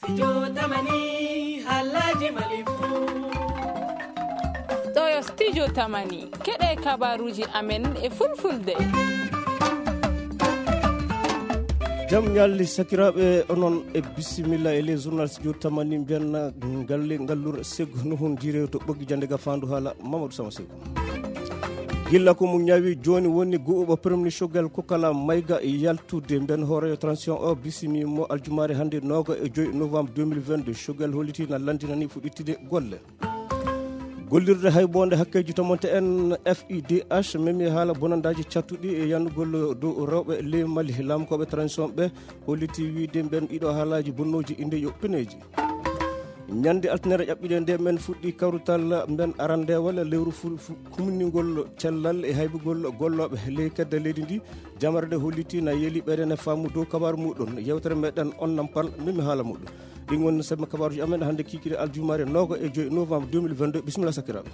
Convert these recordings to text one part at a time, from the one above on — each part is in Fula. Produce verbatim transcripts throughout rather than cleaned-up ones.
Studio Tamani, haalaaji Mali fuu. Ɗo yo Studio Tamani, keɗe kabaruuji amen e fulfulde. Jam ñalli sakiraaɓe, onon e bisimilla e les journal Studio Tamani, mbiyan galle ngallure segu no hun jire to ɓoggi jande ga fandu haala Mamadou Sama Segu. Gilla ko mo ñaawi jooni woni gu'uɓo premier ministre Choguel Kokala Maïga yaltude. Mben hooreejo transition o bisimi mo aljumaare hannde nooga e joyi novembre deux mille vingt-deux. Choguel holliti na lanndinani fuɗɗitde golle. Gollirde hayboonde hakkeeji tomonte en F I D H memi haala bonandaaji cattuɗi e yannugol dow rewɓe ley Mali. Laamkooɓe transition ɓe holliti wiide mben ɗiɗo haalaaji bonnooji inde yo pineeji. Ñande altine ƴaɓɓiɗe nde men fuɗɗi kawrutal men arandeewal lewru fu-, fu-, humningol cellal e haybugol gollooɓe ley kedde leydi ndi. Jamare nde holliti na yeeli ɓeɗen e faamu dow kabaaru muɗum. Yewtere meɗen on nampal mimi haala muɗum. Ɗin woni semme kabaaruji amen hannde kikiɗe aljumaare nooga e joyi novembre deux mille vingt-deux. Bisimilla sakiraaɓe.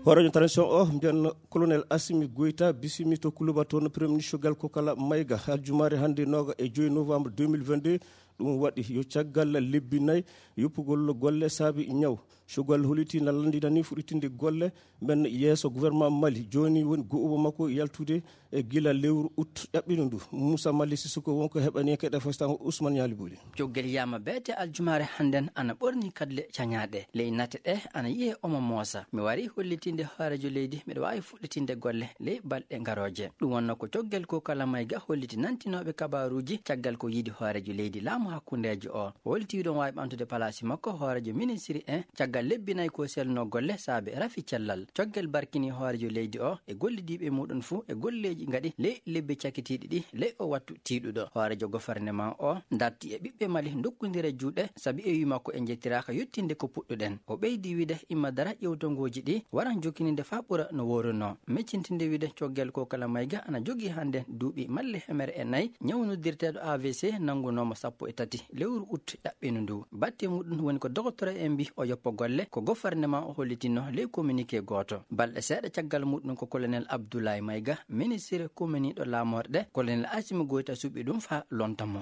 Hooreejo transition o mbiyan colonel Assimi Goïta bisimi to Kuluba toon premier ministre Choguel Kokala Maïga aljumaare hannde nooga e joyi novembre deux mille vingt-deux. Ɗum waɗi yo caggal lebbi nayi yoppugol golle saabi ñaw. Choguel holliti na lanndinani fuɗɗitinde golle men yeeso gouvernement Mali. Jooni woni gu'uɓo makko yaltude e gila lewru août ƴaɓɓino ndu. Moussa Mali Sissoko wonko heɓani e keɗe fostango Ousmane Ñaali Buli. Coggal yama beete aljumaare hannden ana ɓorni kadle cañaaɗe. Ley nate ɗe ana yi'e omo moosa. Mi wari hollitinde hooreejo leydi miɗo waawi fuɗɗitinde golle ley balɗe ngarooje. Ɗum wonno ko coggal Kokala Maïga holliti nantinooɓe kabaaruuji caggal ko yiidi hooreejo leydi laamu hakkundeejo o. O holliti wiɗon waawi ɓamtude palaasi makko hooreejo ministiri en caggal lebbi nayi ko selno golle saabe rafi cellal. Coggal barkini hooreejo leydi o e gollidiiɓe muɗum fuu e golleeji ngaɗi ley lebbi cakitiiɗi ɗi ley o wattu tiiɗuɗo. Hooreejo gofarneman o darti e ɓiɓɓe Mali dokkondira juuɗe sabi e wii makko en njettiraaka yettinde ko puɗɗuɗen. O ɓeydi wiide imma dara ƴewtongooji ɗi waran jokkininde faa ɓura no wooruno. Miccintinde wiide coggal Kokala Maïga ana jogii hannde duuɓi malle hemere e nayi. Ñaw noddirteeɗo A V C nanngunooma sappo e tati lewru août ƴaɓɓino ndu. Batte muɗum woni ko dogotoro en mbii o yoppa golle ko gofarneman o hollitinno ley communiqué gooto. Balɗe seeɗa caggal muɗum ko colonel Abdoulaye Maïga, ministre kominiiɗo laamorɗe, colonel Assimi Goïta suɓi ɗum faa lonta mo.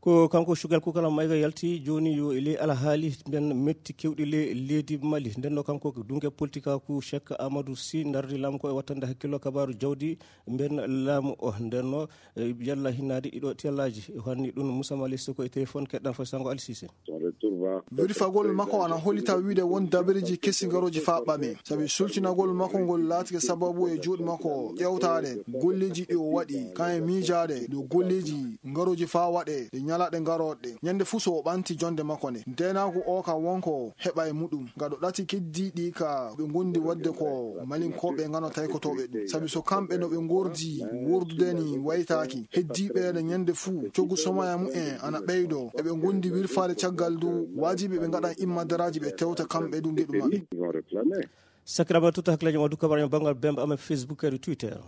Ko kanko Choguel Kokala Maïga yalti jooni yo e ley alhaali mben metti kewɗi ley leydi Mali. Ndenno kanko ko dunge politikaaku Cheikh Amadou Sy ndardi laamu ko e wattande hakkillo kabaaru jawdi mben laamu o. Ndenno, e, yalla hinnaade ɗiɗo tellaaji. O hanni ɗum Moussa Mali Soko e téléphone keɗɗan fo sango Ali Cissé. Wirfagol makko ana hollita wiide won dabareeji kesi ngarooji faa ɓame. Sabi sultinagol makko ngol laatike sababu e juuɗe makko ƴewtaade golleeji ɗi o waɗi, kan e miijaade dow golleeji ngarooji faa waɗe ɗe ñalaaɗe ngarooɗe. Ñande fuu so o ɓanti jonde makko nde. Ndeenaagu o ka wonko heɓa e muɗum. Gaɗo ɗati keddiiɗi ka ɓe ngondi waɗde ko malinkooɓe ngano taykotooɓe ɗum. Sabi so kamɓe no ɓe ngordi wordude ni waytaaki. Heddiiɓe ene ñande fuu coggu somaya mumen ana ɓeydo. Eɓe ngondi wirfaade caggal ndu waajibi ɓe ngaɗan immadaraaji ɓe tewta kamɓe ɗum ngeɗu maɓɓe. Sakiraaɓe, totta hakkillaji ma dukka baraño banngal bemba amen Facebook e Twitter.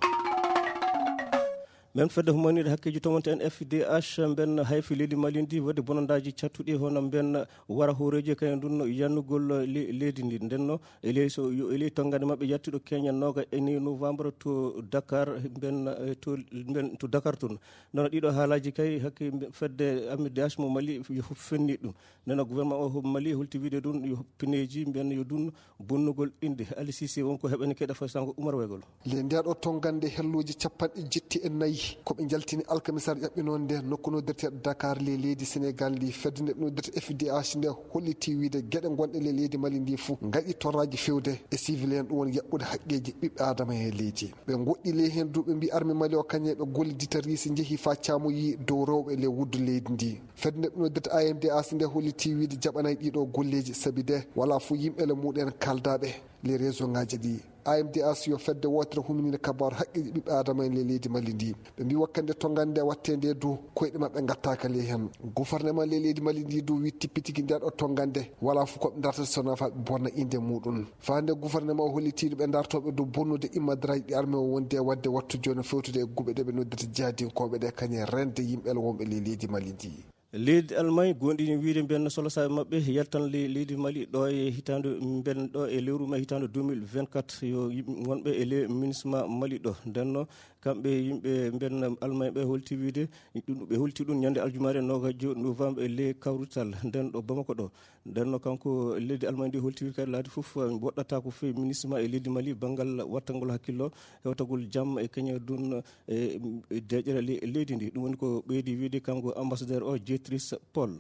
Men fedde humaniiɗe hakkeeji tomonte en F D H mben hayfi leydi Mali ndi wadde bonandaaji cattuɗi hono mben wara hooreeji kañum ɗum no yannugol le-, leydi ndi. Ndenno e ley so yo e ley tonngande maɓɓe yaltuɗo keñen nooga e nayi novembre to Dakar mben, eh, to mben to Dakar toon. Nono ɗiɗo haalaaji kay hakke mbe-, fedde M D H mo Mali yo fenni ɗum. Ndenno gouvernement o Mali holti wiide ɗum yo pineeji mben yo ɗum bonnugol innde. Ali Cissé wonko heɓani keɗa fay sango Umar Waygol. Le ndeɗo tonngande helloji capanɗe jetti e nayi ko ɓe jaltini alkamisar ƴaɓɓinoonde nokku noddirteeɗo Dakar le leydi Sénégal ndi. Fedde nde noddirte F D H nde holliti wiide geɗe gonɗe le leydi Mali ndi fof ngaɗi torraji fewde e civil en, ɗum woni yaɓɓude haqqeji ɓiɓɓe adama e leydi. Ɓe goɗɗi ley heen du ɓe mbi armée Mali o kañe ɓe gollidita riisi njehi fa caamoyi dow rewɓe le wuddu leydi ndi. Fedde nde noddirte A M D H nde holliti wiide jaɓanay ɗiɗo golleji sabi de wala fof yimɓe le muɗen kaldaɓe le réseau ngaji ɗi. A M D H yo fedde wotere humininde kabaru haqqeji ɓiɓɓe adama en le leydi Mali ndi. Ɓe mbi wakkande tonngande watte nde du koyɗe maɓɓe gattaka ley hen. Gouvernement le leydi Mali ndi du wi tippitigi nde ɗo tonngande wala fof koɓe dartata sona fa ɓe bonna inde muɗum. Fa nde gouvernement o hollitiɗo ɓe dartoɓe du bonnude immadraji ɗi armée o wondi e wadde wattu joni fewtude e guɓe ɗe ɓe noddirta jihadinkoɓe ɗe kañe rende yimɓe le wonɓe le leydi Mali ndi. Leydi Allemagne gonɗini wiide mbiyan solo saabe maɓɓe yaltan le-, leydi Mali ɗo e hitaande mbiyan ɗo e lewru mai hitaande deux mille vingt-quatre yo yimɓe wonɓe e le MINUSMA Mali ɗo. Ndenno Kamɓe yimɓe mben Almaañ ɓe holti wiide ɗum, ɓe holti ɗum ñande aljumaare noogajo novembre e ley kawrital nden ɗo Bamako ɗo. Nden no kanko leydi Almaañ ndi holti wiide kadi laabi fof woɗɗata ko fewi ministre ma e leydi Mali banngal wattangol hakkillo hewtagol jam e keñe dun e, e deƴƴere le-, leydi ndi. Ɗum woni ko ɓeydi wiide kanko ambassadeur o Jetris Paul.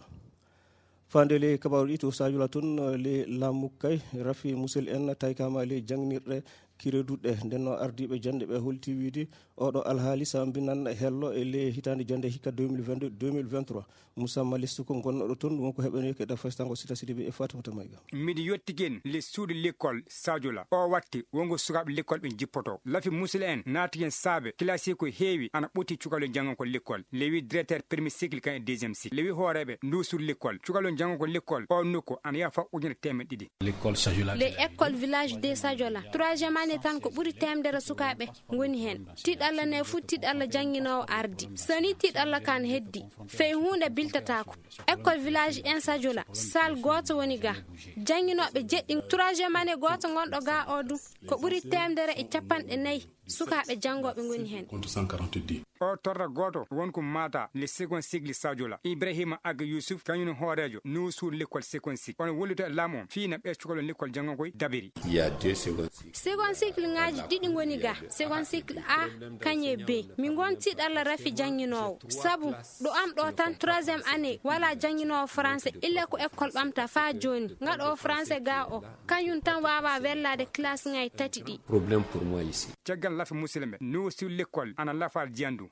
Faande le kabaaru ɗi to Sadio la toon, le laamu kay rafi musel en taykama le jangnirɗe kire duɗɗe. Nden no ardiiɓe jannde ɓe holti wiide oɗo alhaali sambinan hello e le hitaande jannde hikka deux mille vingt-deux, deux mille vingt-trois. Moussa Malistu ko gonnoɗo toon, ɗum ko heɓani ko e ɗa fastango Sita Sidibe e Fatimata Mayga. Miɗo yettigi en le suudu l'école Sadio la. O watti wongo sukaaɓe l'école ɓe jippoto. Lafi musila en naati en saabe kilasi ko heewi ana ɓoti cukalel janngo ko l'école. Le wi directeur premier cycle kan e deuxième cycle. Le wi hooreeɓe ndu suudu l'école. Cukalel janngo ko l'école. O nokku ana yaha fa ujunere teemeɗɗe ɗiɗi. L'école Sadio la. Le école village de Sadio la. Troisième année tan ko ɓuri teemdere sukaaɓe ngoni heen. Tiɗalla ne fuu tiɗalla jannginoowo ardi. So ni tiɗalla kan heddi, fey huunde biltataako. École village en Sadio la, salle gooto woni ga. Jannginooɓe jeɗɗi, troisième année gooto ngonɗo ga o du. Ko ɓuri teemdere e capanɗe nayi sukaaɓe janngooɓe ngoni heen. Contre cent quarante-dix. O torra gooto won ko mata le second cycle Sadio la. Ibrahima Aga Yusuf, kañum hooreejo, nuusuur l'école second cycle. Ono wallita laamu on, fii na ɓe cukalon l'école janngo koy dabiri. Il y a deux secondes. Second cycle ngaaji ɗiɗi ngoni ga. Second cycle A, kañe B. Mi ngonti ɗalla rafi jannginoowo. Sabu, ɗo am ɗo tan troisième année, wala jannginoowo français, illa ko école ɓamta faa jooni. Ngaɗo français ga o, kañum tan wawa wellade classe ngay tati ɗi. Problème pour moi ici. Caggal lafa musidɓe, nuusuur l'école, ana lafa jiyandu.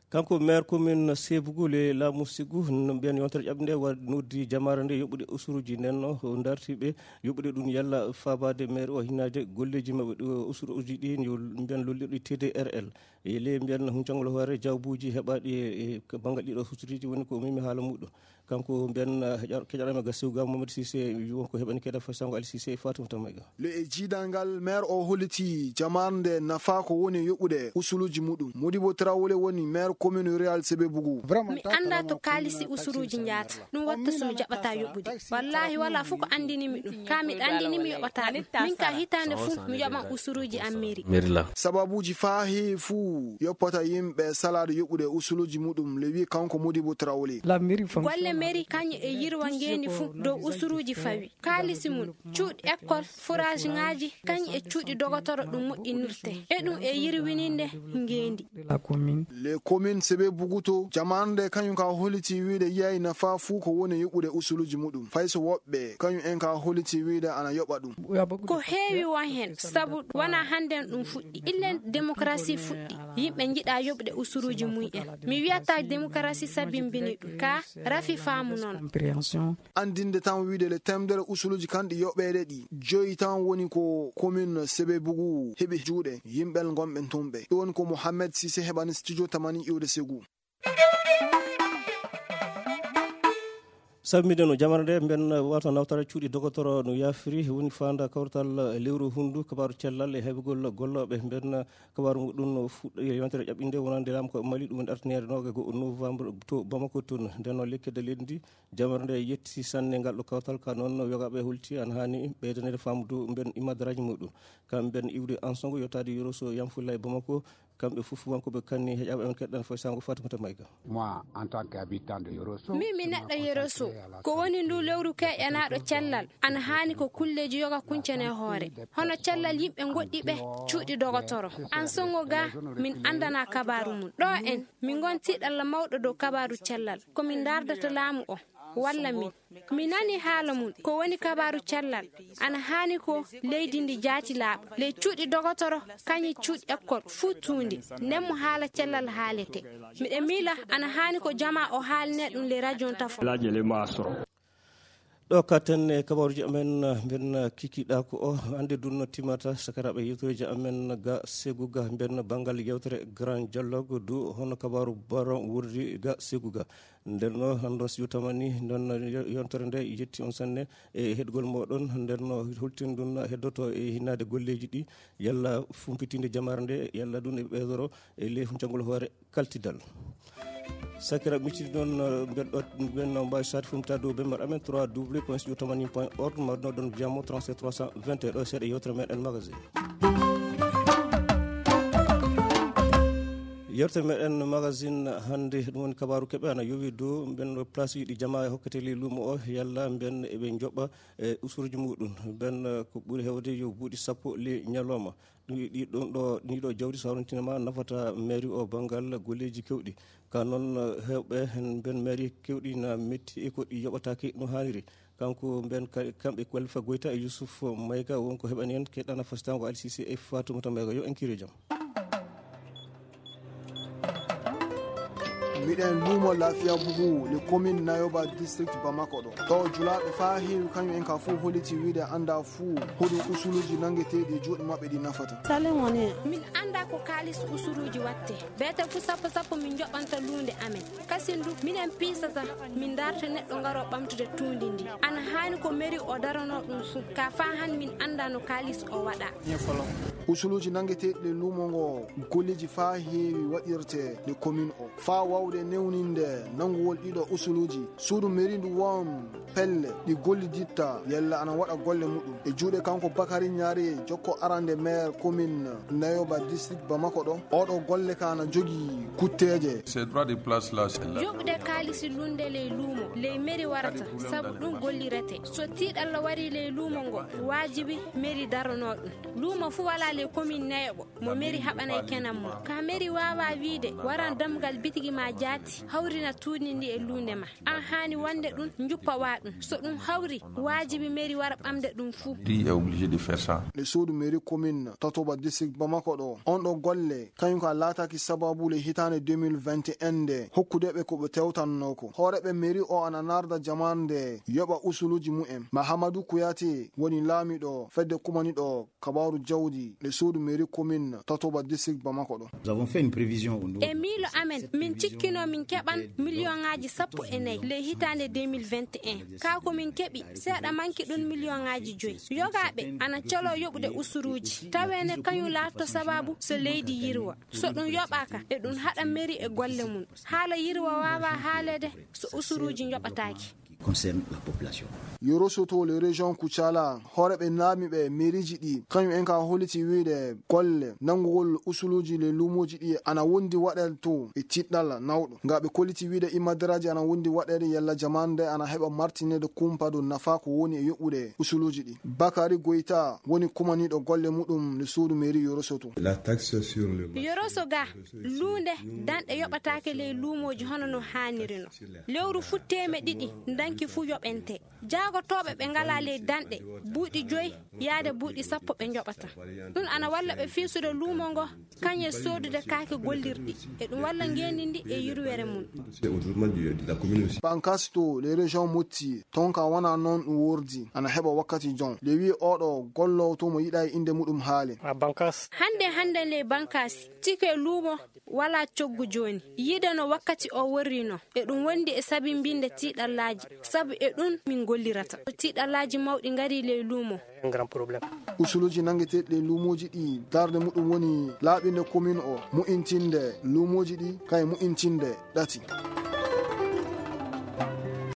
Kanko maire commune Sébougou le laamu Ségou, n-, mbiyan yontere ƴaɓɓe nde wa-, noddi jamaare nde yoɓude usuruji nden no, o darti ɓe yoɓude ɗum yalla faabaade maire o hinnaade golleeji maɓɓe ɗo usuruji ɗi yo mbiyan lollirɗi T D R L. E le mbiyan huncangol hoore jawbuuji heɓaaɗi e, e banngal ɗiɗo usuruji woni ko memi haala muɗum. Kanko mbiyan, eh, heƴa-, keƴaɗo men ga Sébougou Mamadou Cissé, won ko heɓani keɗa fasango Ali Cissé e Fatoumata Mayga. Le e jiidal ngal, maire o holliti jamaare nde nafa ko woni yoɓude usuluuji muɗum. Modibo Traoré woni maire commune rurale Sébougou. Mi annda to kaalisi usuruuji njaata. Ɗum watta so mi jaɓata yoɓude. Wallahi wala fof ko anndini mi ɗum. Ka miɗa anndini mi yoɓata ɗum. Min ka hitaande fof mi yoɓan usuruuji am mairie. Sababuuji faa heewi fuu yoppata yimɓe salaade yoɓude usuluuji muɗum, le wi kanko Modibo Traoré. Golle mairie kañum e yirwa ngeendi fuu dow usuruuji fawi. Kaalisi mum, cuuɗi école, forage ŋaaji, kañum e cuuɗi dogotoro ɗum moƴƴinirte. E ɗum e yirwininde ngeendi. Les communes Sébougou to, jamaare nde kañum ka holliti wiide yiyaay nafa fuu ko woni yoɓude usuluuji muɗum. Fay so woɓɓe, kañum en ka holliti wiide ana yoɓa ɗum. Ko heewi won heen, sabu wona hannden ɗum fuɗɗi. Illen démocratie fuɗɗi, yimɓe njiɗa yoɓude usuluuji mum en. Mi wiyata démocratie sabimbini ɗum, ka rafi faamu noon. Anndinde tan wiide le teemedere usuluuji kan ɗi yoɓeede ɗi, joyi tan woni ko commune Sébougou heɓi juuɗe yimɓe gonɓe toon ɓe. Ɗum woni ko Mohamed Cissé heɓani studio tamani iwde Ségou. Sabu mbiɗen no jamaare nde, mbiɗen wato nawtara cuuɗi dogotoro no yaafiri, woni faanda kawtal lewru hundu, kabaaru cellal e heɓugol gollooɓe. Mbiɗen kabaaru muɗum no fuɗɗi e yontere ƴaɓɓinde wonande laamu ko Mali, ɗum woni artineere noogaye e go'o novembre to Bamako toon. Nden noon lekkere leydi ndi, jamaare nde yetti sanne ngal ɗo kawtal, ka noon yogaaɓe holti ana haani ɓeydaneede faamu dow mbiɗen immadaraaji muɗum. Kamɓe mbiɗen iwde Ansongo yottaade Yoroso Yamfulla e Bamako, kamɓe fof wonkoɓe kanni heƴaaɓe amen keɗɗan foy sango Fatimata Mayga. Moi, en tant qu'habitant de Yoroso, min mi neɗɗo Yoroso, ko woni ndu lewru keƴanaaɗo cellal, ana haani ko kulleeji yoga kuncane hoore. Hono cellal yimɓe goɗɗi ɓe cuuɗi dogotoro. An songo ga, min andana kabaaru mum. Ɗo en, min ngonti ɗalla mawɗo dow kabaaru cellal. Ko min ndardata laamu o, walla min. Mi nani haala mum, ko woni kabaaru cellal. Ana haani ko leydi ndi jaati laaɓa. Ley cuuɗi dogotoro, kañi cuuɗi ekkol, fuu tuundi. Nden mo haala cellal haalete. Miɗa miila, ana haani ko jama o haaline ɗum ley radio tafo. Ɗo katen e kabaruji amen, mbiɗen kikiɗa ko o hannde dunno timata sakaraɓe yewtoreji amen ga Seguga, mbiɗen banngal yewtere Grand Dialogue du hono kabaru baron wurdi ga Seguga. Nden no hannde on si yewtamani nden no yontere nde yetti on sanne e heɗgol moɗon. Nden no holtin ɗum heddoto e hinnade golleji ɗi, yalla fumpitinde jamare nde, yalla ɗum e ɓeydoro e ley huncagol hoore kaltidal. Sakira miccidi noon, mbeɗo ɓen no mbawi sade fumpita dow bembar amen trois w point studio tamani point org, mawɗo ɗon jamo trente-sept trois cent vingt et un. Ɗo seeɗa yewtere meɗen magasin. Yewtere meɗen magazine hannde, ɗum woni kabaaru keɓe ana yowi dow mben place ɗi jama e hokkete ley luumo o, yalla mben eɓe njoɓa e usuruji muɗum. Mben ko ɓuri hewde yo buuɗi sappo ley ñalawma. Ɗum ɗi ɗon ɗo, ɗi ɗo jawdi so hawrintinama nafata mairie o banngal golleeji kewɗi. Ka noon, eh, heewɓe heen mben mairie kewɗi na metti e ko ɗi yoɓataake no haaniri. Kanko mben ka-, kamɓe Khalifa Goita e Yusuf Mayga won ko heɓani en keɗana fasitango Alsisi e Fatoumata Mayga. Yo en kiire jam. Miɗen luumo Lafiya Bugu, le commune Nayoba district Bamako ɗo. Ɗo julaaɓe faa heewi kañum en ka fof holiti wiide annda fuu hoɗum usuluuji nanngeteeɗi e juuɗe maɓɓe ɗi nafata. Salen woni. Min annda ko kaalis usuluuji watte. Beete fuu sappo sappo min njoɓanta luunde amen. Kasin du, minen piisata, min ndarta neɗɗo ngaro ɓamtude tuundi ndi. Ana haani ko mairie o darano ɗum fuu. Ka faa han min annda no kaalis o waɗa. Usuluuji nanngeteeɗi le luumo ngo golleeji faa heewi waɗirte le commune o. Faa waawde newninde nanngugol ɗiɗo usuluuji, suudu mairie ndu won pelle ɗi golliditta yalla ana waɗa golle muɗum. E juuɗe kanko Bakari Ñaari, jokko arande maire commune Nayoba district Bamako ɗo, oɗo golle ka ana jogii kutteeje. Ces droits de place là, c'est la Yoɓde kaalisi lunnde ley luumo, ley mairie warata, sabu ɗum gollirete. So tiiɗalla wari ley luumo ngo, waajibi mairie daranoo ɗum. Luumo fuu walaa ley commune Nayoba mo mairie haɓanay kenan mum. Ka mairie waawaa wiide, waran dammugal bitigi ma jaati, hawrina tuundi ndi e luunde ma. An haani wonde ɗum, njuppa wa ɗum. So ɗum hawri, waajibi mairie wara ɓamde ɗum fuu. Qui est obligé de faire ça? Le suudu mairie commune Tatoba district Bamako ɗo, on ɗo golle, kañum ka laataaki sababu le hitaande deux mille vingt et un nde, hokkude ɓe ko ɓe tewtannoo ko. Hooreeɓe mairie o ana narda jamaande yoɓa usuluuji mumen. Mahamadou Kouyaté woni laamiɗo fedde kumaniɗo kabaaru jawdi le suudu mairie commune Tatoba district Bamako ɗo. Nous avons fait une prévision au niveau E miilo amen, min cikkino min keɓan miliyoŋaaji sappo e nayi ley hitaande deux mille vingt et un. Kaa ko min keɓi, seeɗa manki ɗum miliyoŋaaji joyi. Yogaaɓe ana calo yoɓude usuruuji. Tawee ne kañum laatoto sababu so leydi yirwa. So ɗum yoɓaaka, e ɗum haɗa mairie e golle mum. Haala yirwa waawaa haaleede so usuruuji njoɓataake. Qui concerne la population. Yoro Soto le région Kucala, hooreeɓe laamiiɓe mairieji ɗi, kañum en ka holliti wiide golle nanngugol usuluuji le luumooji ɗi ana wondi waɗeede to e tiɗɗal nawɗo. Nga ɓe kolliti wiide imadaraaji ana wondi waɗeede yalla jamaande ana heɓa martineede kumpa dow nafa ko woni e yoɓude usuluuji ɗi. Bakari Goita woni kumaniiɗo golle muɗum le suudu mairie Yoro Soto. La taxe sur le marché. Yoro Soga, luunde danɗe yoɓataake ley luumooji hono no haaniri no. Lewru fuu teeme ɗiɗi, danki fuu yoɓente. Jaagotooɓe ɓe ngalaa ley danɗe, buuɗi joyi yaade buuɗi sappo ɓe njoɓata. Ɗum ana walla ɓe fiisude luumo ngo, kañum e soodude kaake gollirɗi. E ɗum walla ngeenndi ndi e yurwere mum. Bankasto, les régions motti, ton ka wona noon ɗum wordi, ana heɓa wakkati jon. Le wi oɗo gollowo to mo yiɗa e innde muɗum haale. Hannde hannde ley bankaasi, tike luumo wala coggu jooni. Yiide no wakkati o worri no. E ɗum wondi e sabimbinde tiiɗallaaji. Sabu e ɗum min gollirata. Ko tiiɗallaaji mawɗi ngari ley luumo. Usuluuji nanngeteeɗi ley luumooji ɗi darnde muɗum woni laaɓinde commune o, mu'intinde luumooji ɗi, kay mu'intinde ɗati.